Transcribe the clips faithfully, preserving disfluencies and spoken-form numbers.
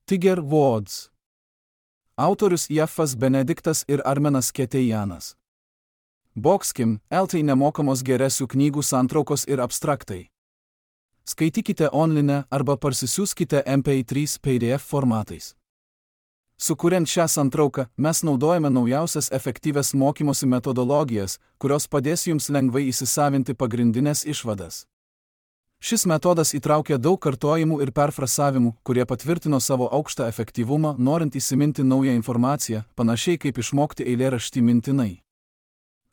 Tiger Woods. Autorius Jeffas Benediktas ir Armenas Ketejanas. Boxkim, eltai nemokamos geresių knygų santraukos ir abstraktai. Skaitykite online arba parsisiųskite M P trys P D F formatais. Sukuriant šią santrauką, mes naudojame naujausias efektyvias mokymosi metodologijas, kurios padės jums lengvai įsisavinti pagrindinės išvadas. Šis metodas įtraukia daug kartojimų ir perfrasavimų, kurie patvirtino savo aukštą efektyvumą, norint įsiminti naują informaciją, panašiai kaip išmokti eilėraštį mintinai.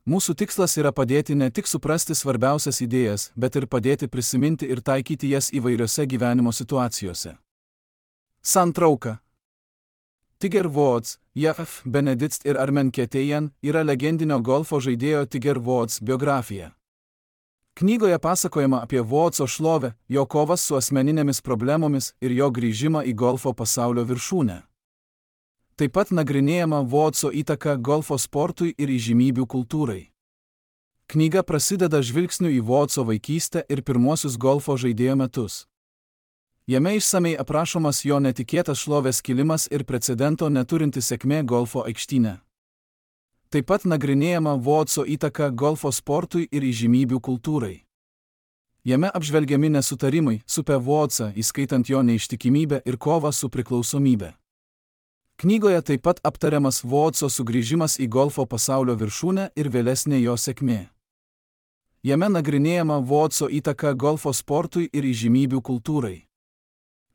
Mūsų tikslas yra padėti ne tik suprasti svarbiausias idėjas, bet ir padėti prisiminti ir taikyti jas įvairiose gyvenimo situacijose. Santrauka. Tiger Woods, Jeff Benediktas ir Armen Ketejan yra legendinio golfo žaidėjo Tiger Woods biografija. Knygoje pasakojama apie Woodso šlovę, jo kovas su asmeninėmis problemomis ir jo grįžimą į golfo pasaulio viršūnę. Taip pat nagrinėjama Woodso įtaka golfo sportui ir įžymybių kultūrai. Knyga prasideda žvilgsniu į Woodso vaikystę ir pirmuosius golfo žaidėjo metus. Jame išsamei aprašomas jo netikėtas šlovės kilimas ir precedento neturinti sėkmė golfo aikštyne. Taip pat nagrinėjama Woodso įtaka golfo sportui ir įžymybių kultūrai. Jame apžvelgiami nesutarimai supę Woodsą, įskaitant jo neištikimybę ir kovą su priklausomybė. Knygoje taip pat aptariamas Woodso sugrįžimas į golfo pasaulio viršūnę ir vėlesnė jo sėkmė. Jame nagrinėjama Woodso įtaka golfo sportui ir įžymybių kultūrai.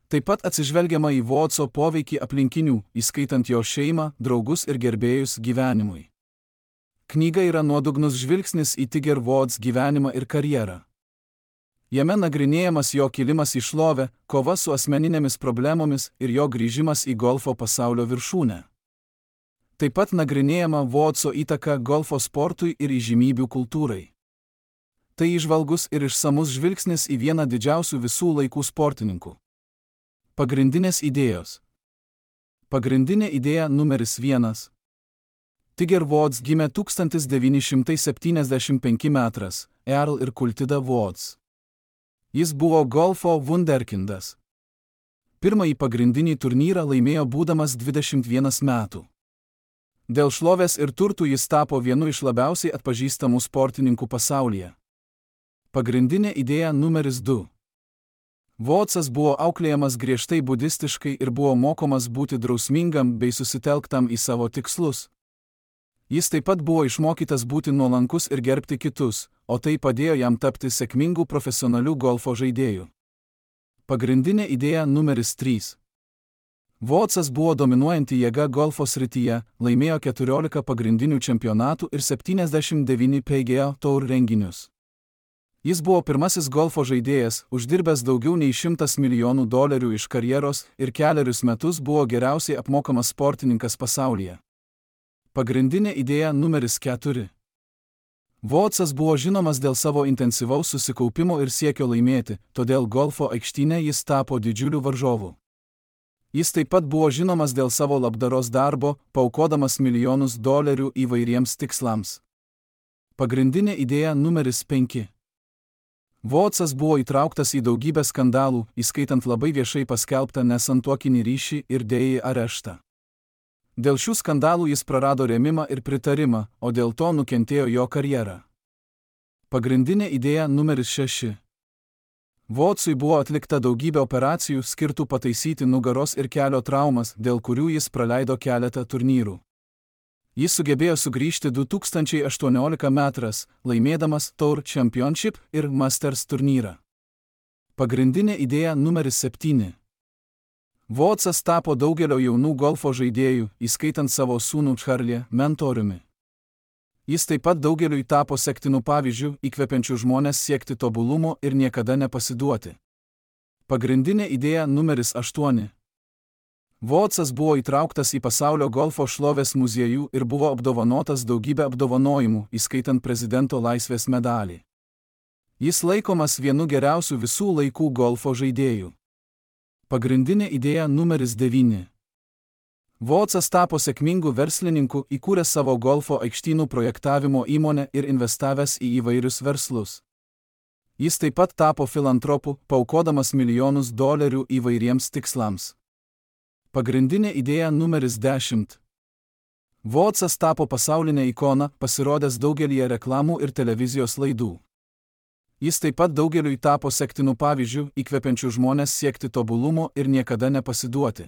Taip pat atsižvelgiama į Woodso poveikį aplinkinių, įskaitant jo šeimą, draugus ir gerbėjus gyvenimui. Knyga yra nuodugnus žvilgsnis į Tiger Woods gyvenimą ir karjerą. Jame nagrinėjamas jo kilimas į šlovę, kova su asmeninėmis problemomis ir jo grįžimas į golfo pasaulio viršūnę. Taip pat nagrinėjama Woodso įtaka golfo sportui ir įžymybių kultūrai. Tai įžvalgus ir išsamus žvilgsnis į vieną didžiausių visų laikų sportininkų. Pagrindinės idėjos. Pagrindinė idėja numeris vienas. Tiger Woods gimė tūkstantis devyni šimtai septyniasdešimt penki metras, Earl ir Kultida Woods. Jis buvo golfo wunderkindas. Pirmąjį pagrindinį turnyrą laimėjo būdamas dvidešimt vienerių metų. Dėl šlovės ir turtų jis tapo vienu iš labiausiai atpažįstamų sportininkų pasaulyje. Pagrindinė idėja numeris du. Woodsas buvo auklėjamas griežtai budistiškai ir buvo mokomas būti drausmingam bei susitelktam į savo tikslus. Jis taip pat buvo išmokytas būti nuolankus ir gerbti kitus, o tai padėjo jam tapti sėkmingų profesionalių golfo žaidėjų. Pagrindinė idėja numeris trys. Woodsas buvo dominuojanti jėga golfo srityje, laimėjo keturiolika pagrindinių čempionatų ir septyniasdešimt devynis P G A Tour renginius. Jis buvo pirmasis golfo žaidėjas, uždirbęs daugiau nei šimtas milijonų dolerių iš karjeros ir kelerius metus buvo geriausiai apmokamas sportininkas pasaulyje. Pagrindinė idėja numeris keturi. Woodsas buvo žinomas dėl savo intensyvaus susikaupimo ir siekio laimėti, todėl golfo aikštyne jis tapo didžiuliu varžovu. Jis taip pat buvo žinomas dėl savo labdaros darbo, paaukodamas milijonus dolerių įvairiems tikslams. Pagrindinė idėja numeris penki. Woodsas buvo įtrauktas į daugybę skandalų, įskaitant labai viešai paskelbtą nesantuokinį ryšį ir dėjį areštą. Dėl šių skandalų jis prarado rėmimą ir pritarimą, o dėl to nukentėjo jo karjera. Pagrindinė idėja numeris šeši. Woodsui buvo atlikta daugybė operacijų skirtų pataisyti nugaros ir kelio traumas, dėl kurių jis praleido keletą turnyrų. Jis sugebėjo sugrįžti du tūkstančiai aštuonioliktais metais, laimėdamas Tour Championship ir Masters turnyrą. Pagrindinė idėja numeris septyni. Woodsas tapo daugelio jaunų golfo žaidėjų, įskaitant savo sūnų Charlie, mentoriumi. Jis taip pat daugeliui tapo sektinų pavyzdžių, įkvepiančių žmones siekti tobulumo ir niekada nepasiduoti. Pagrindinė idėja numeris aštuoni. Woodsas buvo įtrauktas į pasaulio golfo šlovės muziejų ir buvo apdovanotas daugybę apdovanojimų, įskaitant prezidento laisvės medalį. Jis laikomas vienu geriausių visų laikų golfo žaidėjų. Pagrindinė idėja numeris devyni. Woodsas tapo sėkmingu verslininku, įkūręs savo golfo aikštynų projektavimo įmonę ir investavęs į įvairius verslus. Jis taip pat tapo filantropu, paaukodamas milijonus dolerių įvairiems tikslams. Pagrindinė idėja numeris dešimt. Woodsas tapo pasaulinė ikona, pasirodęs daugelyje reklamų ir televizijos laidų. Jis taip pat daugeliui tapo sektinų pavyzdžių, įkvepiančių žmonės siekti tobulumo ir niekada nepasiduoti.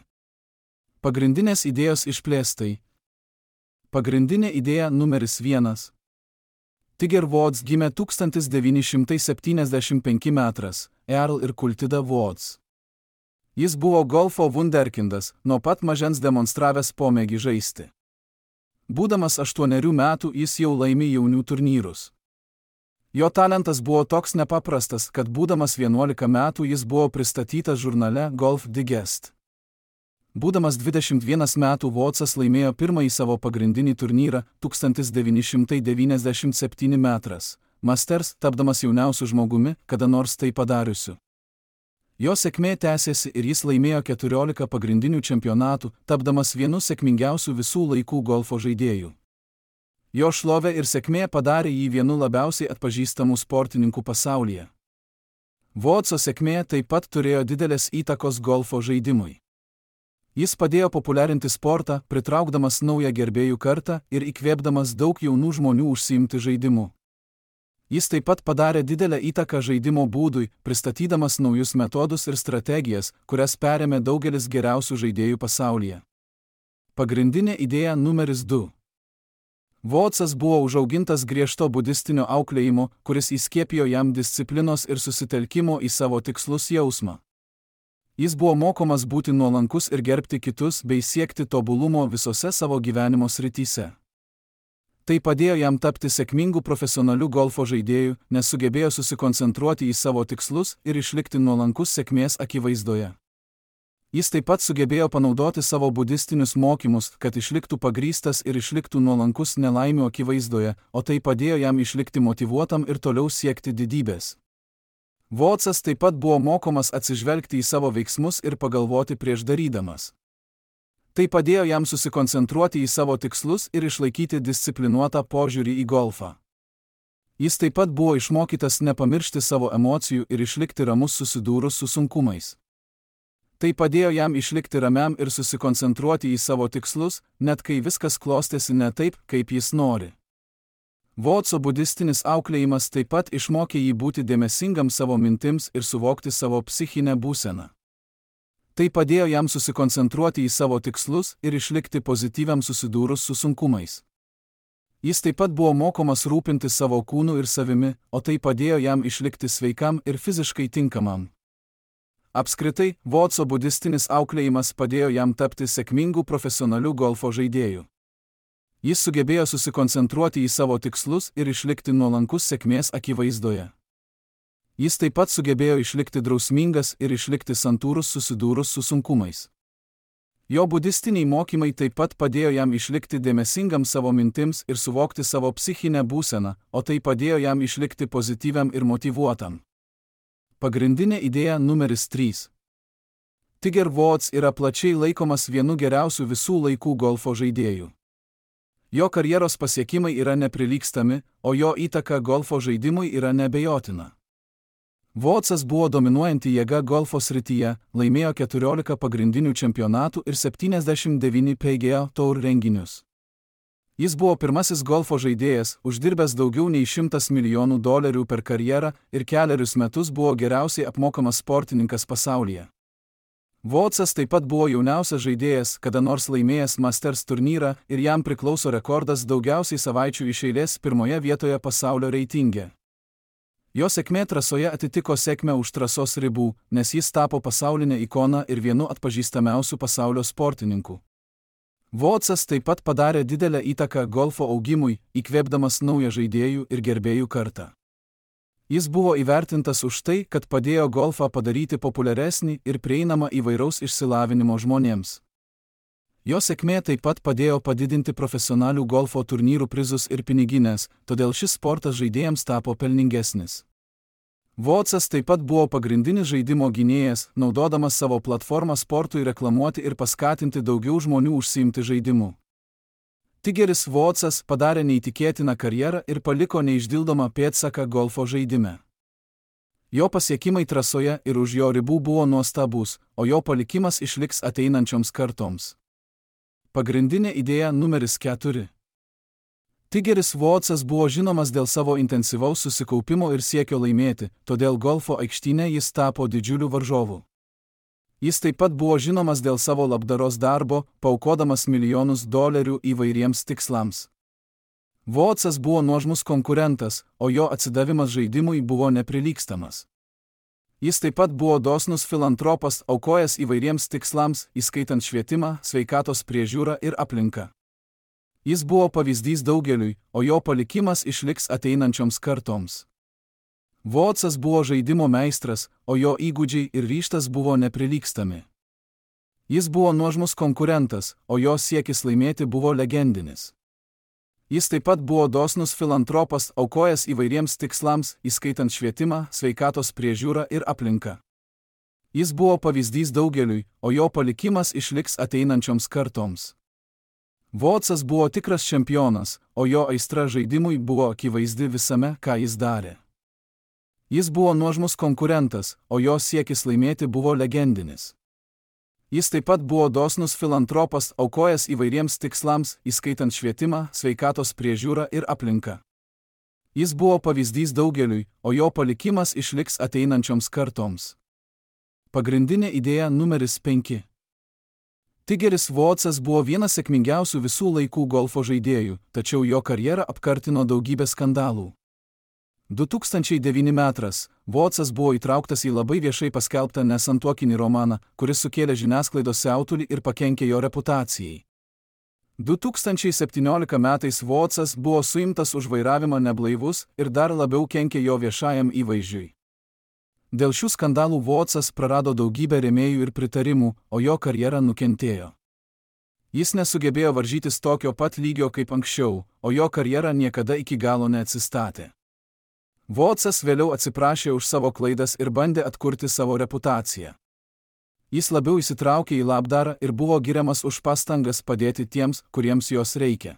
Pagrindinės idėjos išplėstai. Pagrindinė idėja numeris vienas. Tiger Woods gimė tūkstantis devyni šimtai septyniasdešimt penki metras, Earl ir Kultida Woods. Jis buvo golfo vunderkindas, nuo pat mažens demonstravęs pomėgį žaisti. Būdamas aštuonerių metų jis jau laimė jaunių turnyrus. Jo talentas buvo toks nepaprastas, kad būdamas vienuolika metų jis buvo pristatytas žurnale Golf Digest. Būdamas dvidešimt vienerių metų Woodsas laimėjo pirmąjį savo pagrindinį turnyrą tūkstantis devyni šimtai devyniasdešimt septyni metras, Masters, tapdamas jauniausiu žmogumi, kada nors tai padariusiu. Jo sėkmė tęsėsi ir jis laimėjo keturiolika pagrindinių čempionatų, tapdamas vienu sėkmingiausių visų laikų golfo žaidėjų. Jo šlovė ir sėkmė padarė jį vienu labiausiai atpažįstamų sportininkų pasaulyje. Woodso sėkmė taip pat turėjo didelės įtakos golfo žaidimui. Jis padėjo populiarinti sportą, pritraukdamas naują gerbėjų kartą ir įkvėpdamas daug jaunų žmonių užsiimti žaidimu. Jis taip pat padarė didelę įtaką žaidimo būdui, pristatydamas naujus metodus ir strategijas, kurias perėmė daugelis geriausių žaidėjų pasaulyje. Pagrindinė idėja numeris du. Woodsas buvo užaugintas griežto budistinio auklėjimo, kuris įskiepijo jam disciplinos ir susitelkimo į savo tikslus jausmą. Jis buvo mokomas būti nuolankus ir gerbti kitus bei siekti tobulumo visose savo gyvenimo srityse. Tai padėjo jam tapti sėkmingu profesionaliu golfo žaidėju, nes sugebėjo susikoncentruoti į savo tikslus ir išlikti nuolankus sėkmės akivaizdoje. Jis taip pat sugebėjo panaudoti savo budistinius mokymus, kad išliktų pagrįstas ir išliktų nuolankus nelaimių akivaizdoje, o tai padėjo jam išlikti motyvuotam ir toliau siekti didybės. Woodsas taip pat buvo mokomas atsižvelgti į savo veiksmus ir pagalvoti prieš darydamas. Tai padėjo jam susikoncentruoti į savo tikslus ir išlaikyti disciplinuotą požiūrį į golfą. Jis taip pat buvo išmokytas nepamiršti savo emocijų ir išlikti ramus susidūrus su sunkumais. Tai padėjo jam išlikti ramiam ir susikoncentruoti į savo tikslus, net kai viskas klostėsi ne taip, kaip jis nori. Woodso budistinis auklėjimas taip pat išmokė jį būti dėmesingam savo mintims ir suvokti savo psichinę būseną. Tai padėjo jam susikoncentruoti į savo tikslus ir išlikti pozityviam susidūrus su sunkumais. Jis taip pat buvo mokomas rūpinti savo kūnu ir savimi, o tai padėjo jam išlikti sveikam ir fiziškai tinkamam. Apskritai, Woodso budistinis auklėjimas padėjo jam tapti sėkmingu profesionaliu golfo žaidėju. Jis sugebėjo susikoncentruoti į savo tikslus ir išlikti nuolankus sėkmės akivaizdoje. Jis taip pat sugebėjo išlikti drausmingas ir išlikti santūrus susidūrus su sunkumais. Jo budistiniai mokymai taip pat padėjo jam išlikti dėmesingam savo mintims ir suvokti savo psichinę būseną, o tai padėjo jam išlikti pozityviam ir motyvuotam. Pagrindinė idėja numeris trys. Tiger Woods yra plačiai laikomas vienu geriausių visų laikų golfo žaidėjų. Jo karjeros pasiekimai yra neprilygstami, o jo įtaka golfo žaidimui yra neabejotina. Woodsas buvo dominuojanti jėga golfo srityje, laimėjo keturiolika pagrindinių čempionatų ir septyniasdešimt devynis P G A Tour renginius. Jis buvo pirmasis golfo žaidėjas, uždirbęs daugiau nei šimtas milijonų dolerių per karjerą ir kelerius metus buvo geriausiai apmokamas sportininkas pasaulyje. Woodsas taip pat buvo jauniausias žaidėjas, kada nors laimėjęs Masters turnyrą ir jam priklauso rekordas daugiausiai savaičių iš eilės pirmoje vietoje pasaulio reitinge. Jo sėkmė trasoje atitiko sėkmę už trasos ribų, nes jis tapo pasaulinė ikona ir vienu atpažįstamiausių pasaulio sportininkų. Woodsas taip pat padarė didelę įtaką golfo augimui, įkvėpdamas naują žaidėjų ir gerbėjų kartą. Jis buvo įvertintas už tai, kad padėjo golfą padaryti populiaresnį ir prieinamą įvairaus išsilavinimo žmonėms. Jo sėkmė taip pat padėjo padidinti profesionalių golfo turnyrų prizus ir piniginės, todėl šis sportas žaidėjams tapo pelningesnis. Woodsas taip pat buvo pagrindinis žaidimo gynėjas, naudodamas savo platformą sportui reklamuoti ir paskatinti daugiau žmonių užsiimti žaidimu. Tigeris Woodsas padarė neįtikėtiną karjerą ir paliko neišdildomą pėdsaką golfo žaidime. Jo pasiekimai trasoje ir už jo ribų buvo nuostabus, o jo palikimas išliks ateinančioms kartoms. Pagrindinė idėja numeris keturi. Tigeris Woodsas buvo žinomas dėl savo intensyvaus susikaupimo ir siekio laimėti, todėl golfo aikštyne jis tapo didžiuliu varžovu. Jis taip pat buvo žinomas dėl savo labdaros darbo, paaukodamas milijonus dolerių įvairiems tikslams. Woodsas buvo nuožmus konkurentas, o jo atsidavimas žaidimui buvo neprilygstamas. Jis taip pat buvo dosnus filantropas, aukojęs įvairiems tikslams, įskaitant švietimą, sveikatos priežiūrą ir aplinką. Jis buvo pavyzdys daugeliui, o jo palikimas išliks ateinančioms kartoms. Woodsas buvo žaidimo meistras, o jo įgūdžiai ir ryžtas buvo neprilygstami. Jis buvo nuožmus konkurentas, o jo siekis laimėti buvo legendinis. Jis taip pat buvo dosnus filantropas, aukojęs įvairiems tikslams, įskaitant švietimą, sveikatos priežiūrą ir aplinką. Jis buvo pavyzdys daugeliui, o jo palikimas išliks ateinančioms kartoms. Woodsas buvo tikras čempionas, o jo aistra žaidimui buvo akivaizdi visame, ką jis darė. Jis buvo nuožmus konkurentas, o jo siekis laimėti buvo legendinis. Jis taip pat buvo dosnus filantropas, aukojęs įvairiems tikslams, įskaitant švietimą, sveikatos priežiūrą ir aplinką. Jis buvo pavyzdys daugeliui, o jo palikimas išliks ateinančioms kartoms. Pagrindinė idėja numeris penki. Tigeris Woodsas buvo vienas sėkmingiausių visų laikų golfo žaidėjų, tačiau jo karjerą apkartino daugybė skandalų. du tūkstančiai devinti metais Woodsas buvo įtrauktas į labai viešai paskelbtą nesantuokinį romaną, kuris sukėlė žiniasklaidos siautulį ir pakenkė jo reputacijai. du tūkstančiai septynioliktais metais Woodsas buvo suimtas už vairavimą neblaivus ir dar labiau kenkė jo viešajam įvaizdžiui. Dėl šių skandalų Woodsas prarado daugybę rėmėjų ir pritarimų, o jo karjera nukentėjo. Jis nesugebėjo varžytis tokio pat lygio kaip anksčiau, o jo karjera niekada iki galo neatsistatė. Woodsas vėliau atsiprašė už savo klaidas ir bandė atkurti savo reputaciją. Jis labiau įsitraukė į labdarą ir buvo giriamas už pastangas padėti tiems, kuriems jos reikia.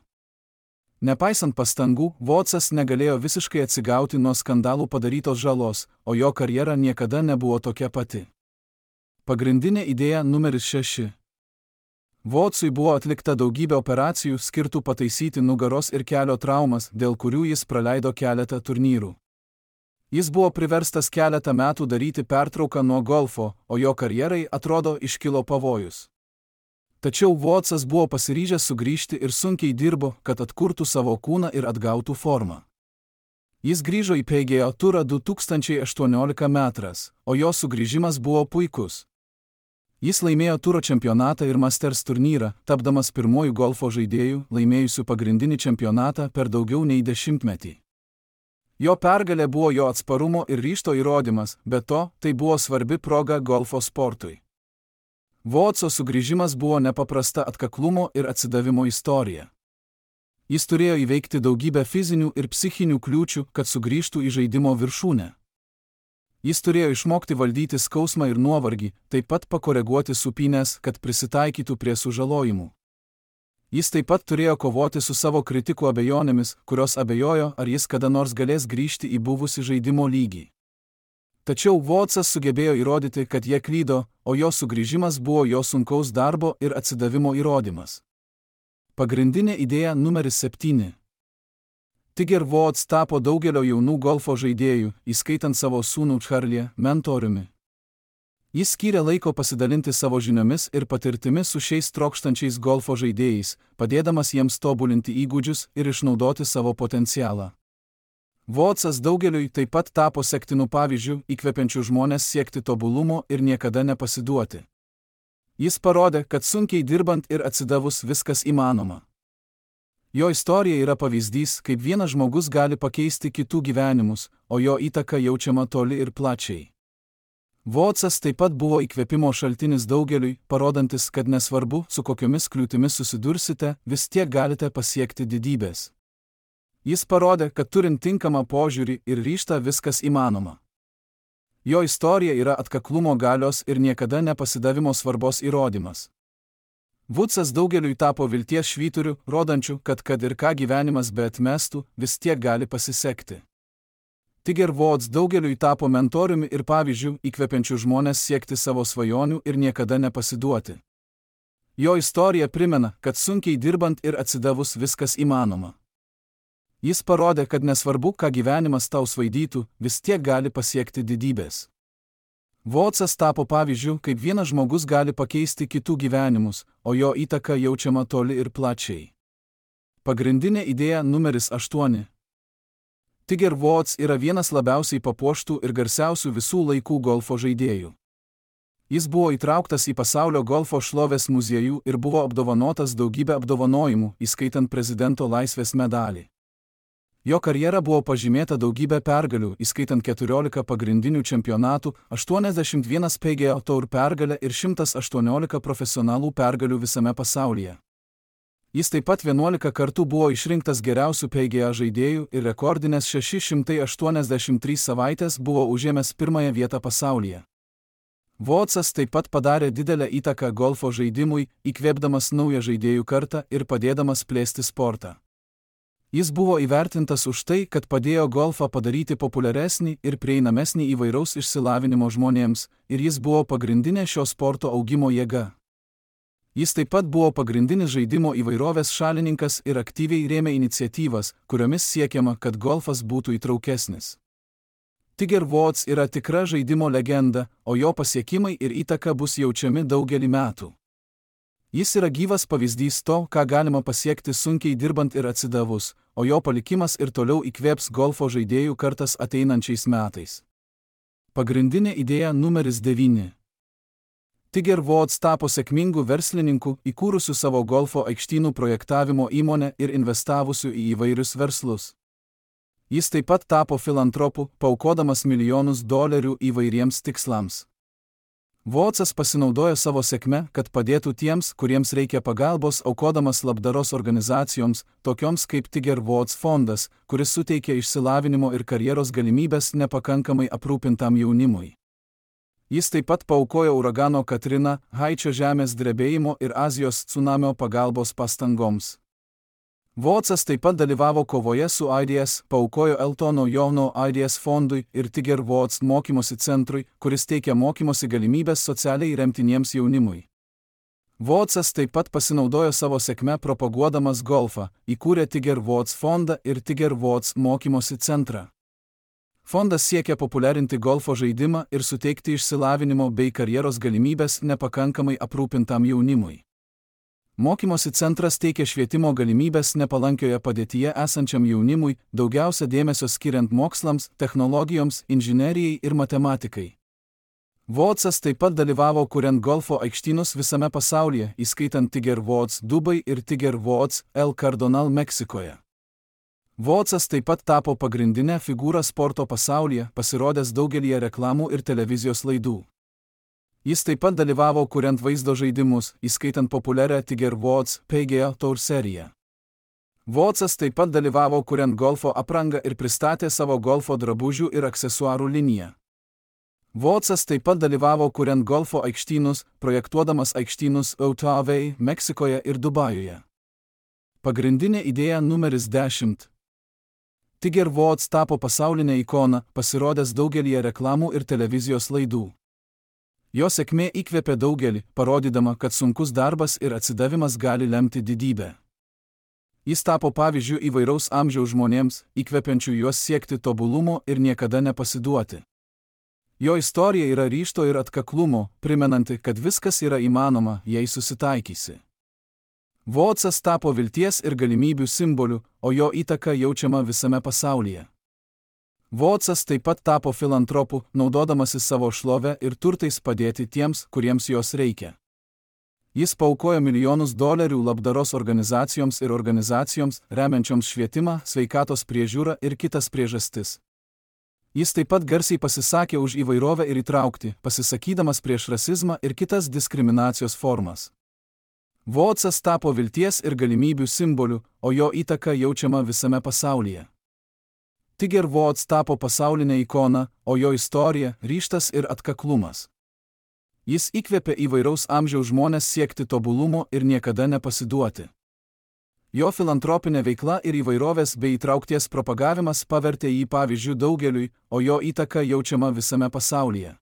Nepaisant pastangų, Woodsas negalėjo visiškai atsigauti nuo skandalų padarytos žalos, o jo karjera niekada nebuvo tokia pati. Pagrindinė idėja numeris šeši. Woodsui buvo atlikta daugybė operacijų skirtų pataisyti nugaros ir kelio traumas, dėl kurių jis praleido keletą turnyrų. Jis buvo priverstas keletą metų daryti pertrauką nuo golfo, o jo karjerai, atrodo, iškilo pavojus. Tačiau Woodsas buvo pasiryžęs sugrįžti ir sunkiai dirbo, kad atkurtų savo kūną ir atgautų formą. Jis grįžo į P G A turą du tūkstančiai aštuonioliktais metais, o jo sugrįžimas buvo puikus. Jis laimėjo turo čempionatą ir Masters turnyrą, tapdamas pirmuoju golfo žaidėju, laimėjusiu pagrindinį čempionatą per daugiau nei dešimtmetį. Jo pergalė buvo jo atsparumo ir ryžto įrodymas, bet to, tai buvo svarbi proga golfo sportui. Woodso sugrįžimas buvo nepaprasta atkaklumo ir atsidavimo istorija. Jis turėjo įveikti daugybę fizinių ir psichinių kliūčių, kad sugrįžtų į žaidimo viršūnę. Jis turėjo išmokti valdyti skausmą ir nuovargį, taip pat pakoreguoti supynes, kad prisitaikytų prie sužalojimų. Jis taip pat turėjo kovoti su savo kritikų abejonėmis, kurios abejojo, ar jis kada nors galės grįžti į buvusį žaidimo lygį. Tačiau Woodsas sugebėjo įrodyti, kad jie klydo, o jo sugrįžimas buvo jo sunkaus darbo ir atsidavimo įrodymas. Pagrindinė idėja numeris septyni. Tiger Woods tapo daugelio jaunų golfo žaidėjų, įskaitant savo sūnų Charlie, mentoriumi. Jis skyrė laiko pasidalinti savo žiniomis ir patirtimi su šiais trokštančiais golfo žaidėjais, padėdamas jiems tobulinti įgūdžius ir išnaudoti savo potencialą. Woodsas daugeliui taip pat tapo sektinų pavyzdžių, įkvepiančių žmonės siekti tobulumo ir niekada nepasiduoti. Jis parodė, kad sunkiai dirbant ir atsidavus viskas įmanoma. Jo istorija yra pavyzdys, kaip vienas žmogus gali pakeisti kitų gyvenimus, o jo įtaka jaučiama toli ir plačiai. Woodsas taip pat buvo įkvėpimo šaltinis daugeliui, parodantis, kad nesvarbu, su kokiomis kliūtimis susidursite, vis tiek galite pasiekti didybės. Jis parodė, kad turint tinkamą požiūrį ir ryžtą viskas įmanoma. Jo istorija yra atkaklumo galios ir niekada nepasidavimo svarbos įrodymas. Woodsas daugeliui tapo vilties švyturiu, rodančiu, kad kad ir ką gyvenimas beatmestų, vis tiek gali pasisekti. Tiger Woods daugeliui tapo mentoriumi ir pavyzdžiu, įkvepiančiu žmonės siekti savo svajonių ir niekada nepasiduoti. Jo istorija primena, kad sunkiai dirbant ir atsidavus viskas įmanoma. Jis parodė, kad nesvarbu, ką gyvenimas tau svaidytų, vis tiek gali pasiekti didybės. Woodsas tapo pavyzdžiu, kaip vienas žmogus gali pakeisti kitų gyvenimus, o jo įtaka jaučiama toli ir plačiai. Pagrindinė idėja numeris aštuoni. Tiger Woods yra vienas labiausiai papuoštų ir garsiausių visų laikų golfo žaidėjų. Jis buvo įtrauktas į pasaulio golfo šlovės muziejų ir buvo apdovanotas daugybę apdovanojimų, įskaitant prezidento laisvės medalį. Jo karjera buvo pažymėta daugybę pergalių, įskaitant keturiolika pagrindinių čempionatų, aštuoniasdešimt vienas P G A Tour pergalę ir šimtas aštuoniolika profesionalų pergalių visame pasaulyje. Jis taip pat vienuolika kartų buvo išrinktas geriausių P G A žaidėjų ir rekordinės šeši šimtai aštuoniasdešimt trys savaitės buvo užėmęs pirmąją vietą pasaulyje. Woodsas taip pat padarė didelę įtaką golfo žaidimui, įkvėpdamas naują žaidėjų kartą ir padėdamas plėsti sportą. Jis buvo įvertintas už tai, kad padėjo golfą padaryti populiaresnį ir prieinamesnį įvairaus išsilavinimo žmonėms, ir jis buvo pagrindinė šio sporto augimo jėga. Jis taip pat buvo pagrindinis žaidimo įvairovės šalininkas ir aktyviai rėmė iniciatyvas, kuriomis siekiama, kad golfas būtų įtraukesnis. Tiger Woods yra tikra žaidimo legenda, o jo pasiekimai ir įtaka bus jaučiami daugelį metų. Jis yra gyvas pavyzdys to, ką galima pasiekti sunkiai dirbant ir atsidavus, o jo palikimas ir toliau įkvėps golfo žaidėjų kartas ateinančiais metais. Pagrindinė idėja numeris devyni. Tiger Woods tapo sėkmingu verslininku, įkūrusiu savo golfo aikštynų projektavimo įmonę ir investavusiu į įvairius verslus. Jis taip pat tapo filantropu, paaukodamas milijonus dolerių įvairiems tikslams. Woodsas pasinaudojo savo sėkme, kad padėtų tiems, kuriems reikia pagalbos, aukodamas labdaros organizacijoms, tokioms kaip Tiger Woods fondas, kuris suteikia išsilavinimo ir karjeros galimybės nepakankamai aprūpintam jaunimui. Jis taip pat paaukojo uragano Katrina, Haičio žemės drebėjimo ir Azijos cunamio pagalbos pastangoms. Woodsas taip pat dalyvavo kovoje su AIDS, paaukojo Eltono Johno AIDS fondui ir Tiger Woods mokymosi centrui, kuris teikia mokymosi galimybės socialiai remtiniems jaunimui. Woodsas taip pat pasinaudojo savo sėkme propaguodamas golfą, įkūrė Tiger Woods fondą ir Tiger Woods mokymosi centrą. Fondas siekia populiarinti golfo žaidimą ir suteikti išsilavinimo bei karjeros galimybės nepakankamai aprūpintam jaunimui. Mokymosi centras teikia švietimo galimybės nepalankioje padėtyje esančiam jaunimui, daugiausia dėmesio skiriant mokslams, technologijoms, inžinerijai ir matematikai. Woodsas taip pat dalyvavo kuriant golfo aikštynus visame pasaulyje, įskaitant Tiger Woods Dubai ir Tiger Woods El Cardonal Meksikoje. Woodsas taip pat tapo pagrindinę figūrą sporto pasaulyje, pasirodęs daugelyje reklamų ir televizijos laidų. Jis taip pat dalyvavo kuriant vaizdo žaidimus, įskaitant populiarią Tiger Woods P G A Tour seriją. Woodsas taip pat dalyvavo kuriant golfo aprangą ir pristatė savo golfo drabužių ir aksesuarų liniją. Woodsas taip pat dalyvavo kuriant golfo aikštynus, projektuodamas aikštynus Otavai, Meksikoje ir Dubajuje. Pagrindinė idėja numeris dešimt. Tiger Woods tapo pasaulinė ikona, pasirodęs daugelyje reklamų ir televizijos laidų. Jo sėkmė įkvėpė daugelį, parodydama, kad sunkus darbas ir atsidavimas gali lemti didybę. Jis tapo pavyzdžiu įvairaus amžiaus žmonėms, įkvepiančių juos siekti tobulumo ir niekada nepasiduoti. Jo istorija yra ryžto ir atkaklumo, primenanti, kad viskas yra įmanoma, jei susitaikysi. Woodsas tapo vilties ir galimybių simboliu, o jo įtaka jaučiama visame pasaulyje. Woodsas taip pat tapo filantropu, naudodamasis savo šlovę ir turtais padėti tiems, kuriems jos reikia. Jis paaukojo milijonus dolerių labdaros organizacijoms ir organizacijoms, remiančioms švietimą, sveikatos priežiūrą ir kitas priežastis. Jis taip pat garsiai pasisakė už įvairovę ir įtraukti, pasisakydamas prieš rasizmą ir kitas diskriminacijos formas. Woodsas tapo vilties ir galimybių simboliu, o jo įtaka jaučiama visame pasaulyje. Tiger Woods tapo pasaulinė ikona, o jo istorija, ryžtas ir atkaklumas. Jis įkvėpė įvairaus amžiaus žmonės siekti tobulumo ir niekada nepasiduoti. Jo filantropinė veikla ir įvairovės bei įtraukties propagavimas pavertė jį pavyzdžių daugeliui, o jo įtaka jaučiama visame pasaulyje.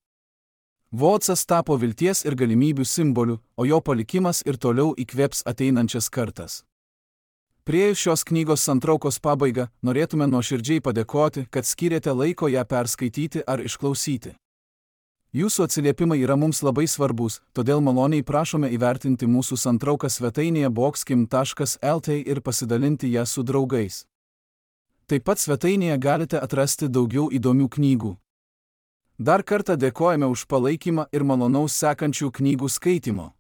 Votsas tapo vilties ir galimybių simboliu, o jo palikimas ir toliau įkvėps ateinančias kartas. Priėjus šios knygos santraukos pabaigą, norėtume nuoširdžiai padėkoti, kad skyrėte laiko ją perskaityti ar išklausyti. Jūsų atsiliepimai yra mums labai svarbus, todėl maloniai prašome įvertinti mūsų santrauką svetainėje boxkim taškas lt ir pasidalinti ją su draugais. Taip pat svetainėje galite atrasti daugiau įdomių knygų. Dar kartą dėkojame už palaikymą ir malonaus sekančių knygų skaitymo.